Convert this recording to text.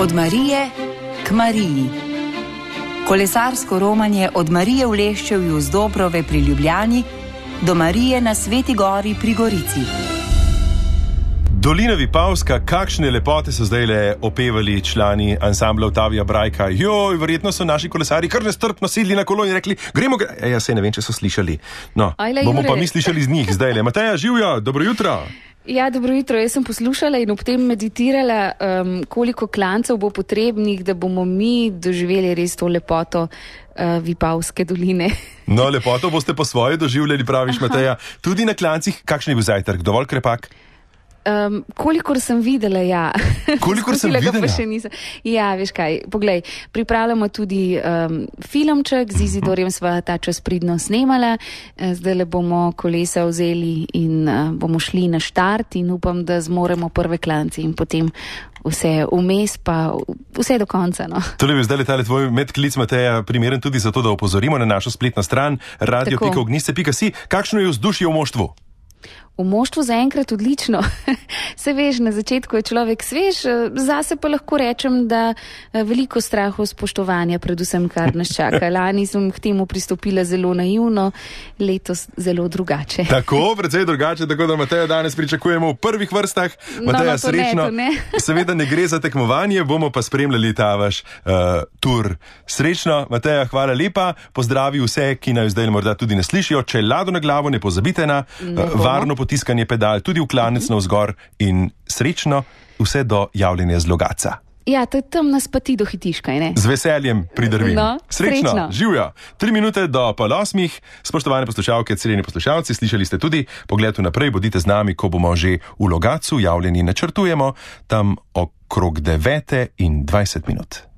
Od Marije k Mariji. Kolesarsko romanje od Marije v Leščevju z Dobrove pri Ljubljani do Marije na Sveti Gori pri Gorici. Dolina Vipavska, kakšne lepote so zdaj opevali člani ansambla Otavija Brajka. Joj, verjetno so naši kolesari kar nestrpno sedli na kolo in rekli, gremo. Saj ne vem, če so slišali. No, bomo pa mi slišali z njih zdaj. Mateja, živijo, dobro jutro. Ja, dobro jutro. Jaz sem poslušala in ob tem meditirala, koliko klancev bo potrebnih, da bomo mi doživeli res to lepoto Vipavske doline. No, lepoto boste po svoje doživljali, praviš, Mateja. Tudi na klancih, kakšen je bil zajtrk? Dovolj krepak? Kolikor sem videla, ja. Kolikor sem videla? Ja, veš kaj, poglej, pripravljamo tudi filmček, z Izidorjem sva ta čas pridno snemala, zdaj bomo kolesa vzeli in bomo šli na štart in upam, da zmoremo prve klance in potem vse vmes, pa vse do konca. No. Tole bi zdaj letali tvoj medklic, Mateja, primeren tudi zato, da opozorimo na našo spletno stran radio.ognjišče.si. Kakšno je vzdušje v moštvu? V moštvu zaenkrat odlično. Se veš, na začetku je človek svež, zase pa lahko rečem, da veliko strahu spoštovanja, predvsem kar nas čaka. Lani sem k temu pristopila zelo naivno, letos zelo drugače. Tako, precej drugače, tako da Mateja danes pričakujemo v prvih vrstah. Mateja, srečno. Seveda ne gre za tekmovanje, bomo pa spremljali ta vaš tur. Srečno, Mateja, hvala lepa. Pozdravi vse, ki naj zdaj morda tudi ne slišijo. Če lado na glavo, ne pozabite na varno potiskanje pedal, tudi v klanec navzgor in srečno vse do javljanja z Logatca. Ja, tam nas pa ti dohitiš, kaj ne? Z veseljem pridrvim. No, srečno, živjo. 3 minute do 7:30. Spoštovane poslušalke, cenjeni poslušalci, slišali ste tudi pogled vnaprej, bodite z nami, ko bomo že v Logatcu, javljeni načrtujemo, tam okrog 9:20.